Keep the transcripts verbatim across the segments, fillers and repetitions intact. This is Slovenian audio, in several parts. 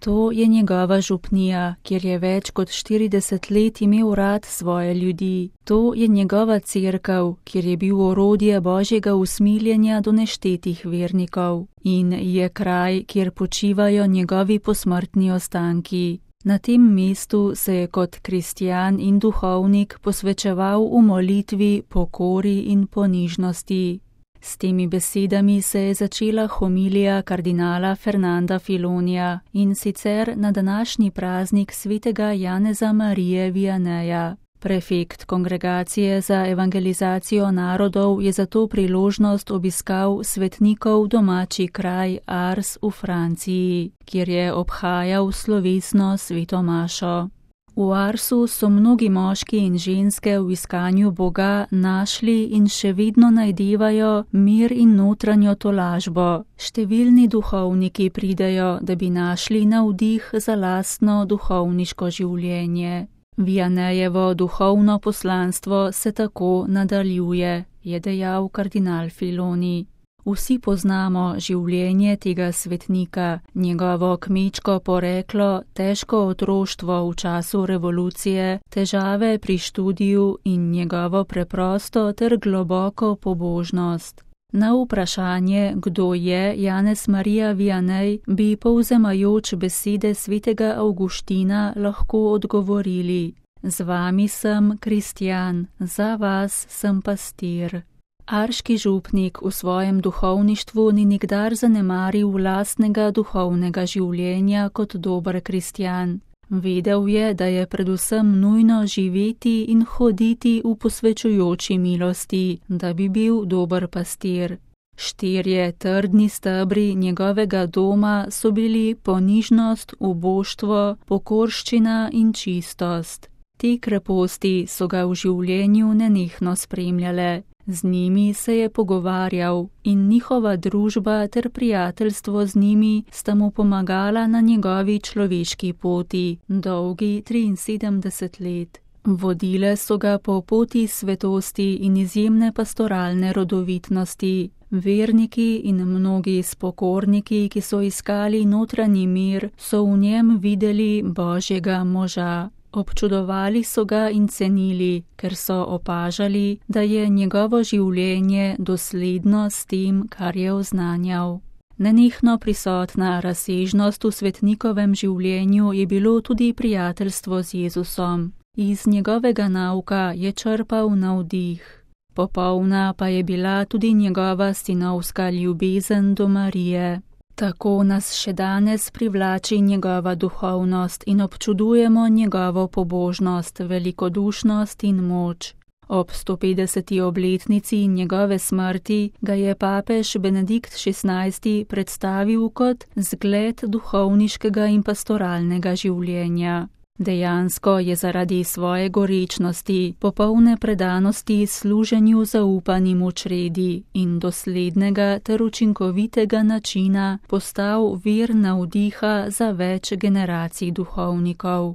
To je njegova župnija, kjer je več kot štirideset let imel rad svoje ljudi. To je njegova cerkev, kjer je bil orodje Božjega usmiljenja do neštetih vernikov. In je kraj, kjer počivajo njegovi posmrtni ostanki. Na tem mestu se je kot kristjan in duhovnik posvečeval v molitvi, pokori in ponižnosti. S temi besedami se je začela homilija kardinala Fernanda Filonija, in sicer na današnji praznik svetega Janeza Marije Vianeja. Prefekt Kongregacije za evangelizacijo narodov je za to priložnost obiskal svetnikov domači kraj Ars v Franciji, kjer je obhajal slovesno sveto mašo. V Arsu so mnogi moški in ženske v iskanju Boga našli in še vedno najdevajo mir in notranjo tolažbo. Številni duhovniki pridejo, da bi našli navdih za lastno duhovniško življenje. Vianejevo duhovno poslanstvo se tako nadaljuje, je dejal kardinal Filoni. Vsi poznamo življenje tega svetnika, njegovo kmečko poreklo, težko otroštvo v času revolucije, težave pri študiju in njegovo preprosto ter globoko pobožnost. Na vprašanje, kdo je Janez Marija Vianej, bi povzemajoč besede svetega Avguština lahko odgovorili: Z vami sem kristjan, za vas sem pastir. Arški župnik v svojem duhovništvu ni nikdar zanemaril lastnega duhovnega življenja kot dober kristjan. Vedel je, da je predvsem nujno živeti in hoditi v posvečujoči milosti, da bi bil dober pastir. Štirje trdni stebri njegovega doma so bili ponižnost, uboštvo, pokorščina in čistost. Te kreposti so ga v življenju nenehno spremljale. Z njimi se je pogovarjal in njihova družba ter prijateljstvo z njimi sta mu pomagala na njegovi človeški poti, dolgi triinsedemdeset let. Vodile so ga po poti svetosti in izjemne pastoralne rodovitnosti. Verniki in mnogi spokorniki, ki so iskali notranji mir, so v njem videli Božjega moža. Občudovali so ga in cenili, ker so opažali, da je njegovo življenje dosledno s tem, kar je oznanjal. Nenehno prisotna razsežnost v svetnikovem življenju je bilo tudi prijateljstvo z Jezusom. Iz njegovega nauka je črpal navdih. Popolna pa je bila tudi njegova sinovska ljubezen do Marije. Tako nas še danes privlači njegova duhovnost in občudujemo njegovo pobožnost, velikodušnost in moč. Ob sto petdeseti obletnici njegove smrti ga je papež Benedikt šestnajsti predstavil kot zgled duhovniškega in pastoralnega življenja. Dejansko je zaradi svoje gorečnosti, popolne predanosti služenju zaupanim v čredi in doslednega ter učinkovitega načina postal vir navdiha za več generacij duhovnikov.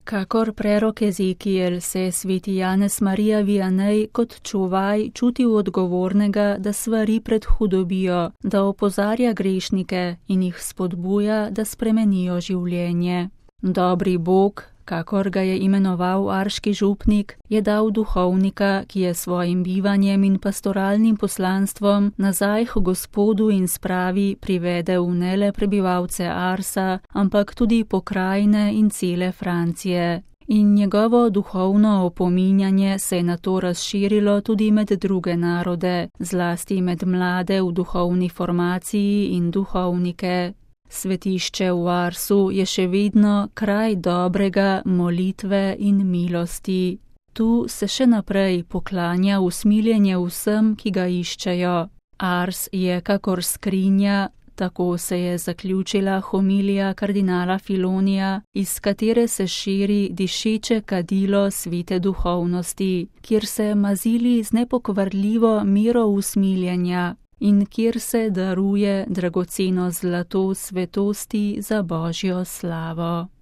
Kakor prerok Ezekiel se je sveti Janez Marija Vianej kot čuvaj čutil odgovornega, da svari pred hudobijo, da opozarja grešnike in jih spodbuja, da spremenijo življenje. Dobri Bog, kakor ga je imenoval arški župnik, je dal duhovnika, ki je svojim bivanjem in pastoralnim poslanstvom nazaj k Gospodu in spravi privedel ne le prebivalce Arsa, ampak tudi pokrajine in cele Francije. In njegovo duhovno opominjanje se je nato razširilo tudi med druge narode, zlasti med mlade v duhovni formaciji in duhovnike. Svetišče v Arsu je še vedno kraj dobrega, molitve in milosti. Tu se še naprej poklanja usmiljenje vsem, ki ga iščejo. Ars je kakor skrinja, tako se je zaključila homilija kardinala Filonija, iz katere se širi dišeče kadilo svete duhovnosti, kjer se mazili z nepokvarljivo miro usmiljenja in kjer se daruje dragoceno zlato svetosti za Božjo slavo.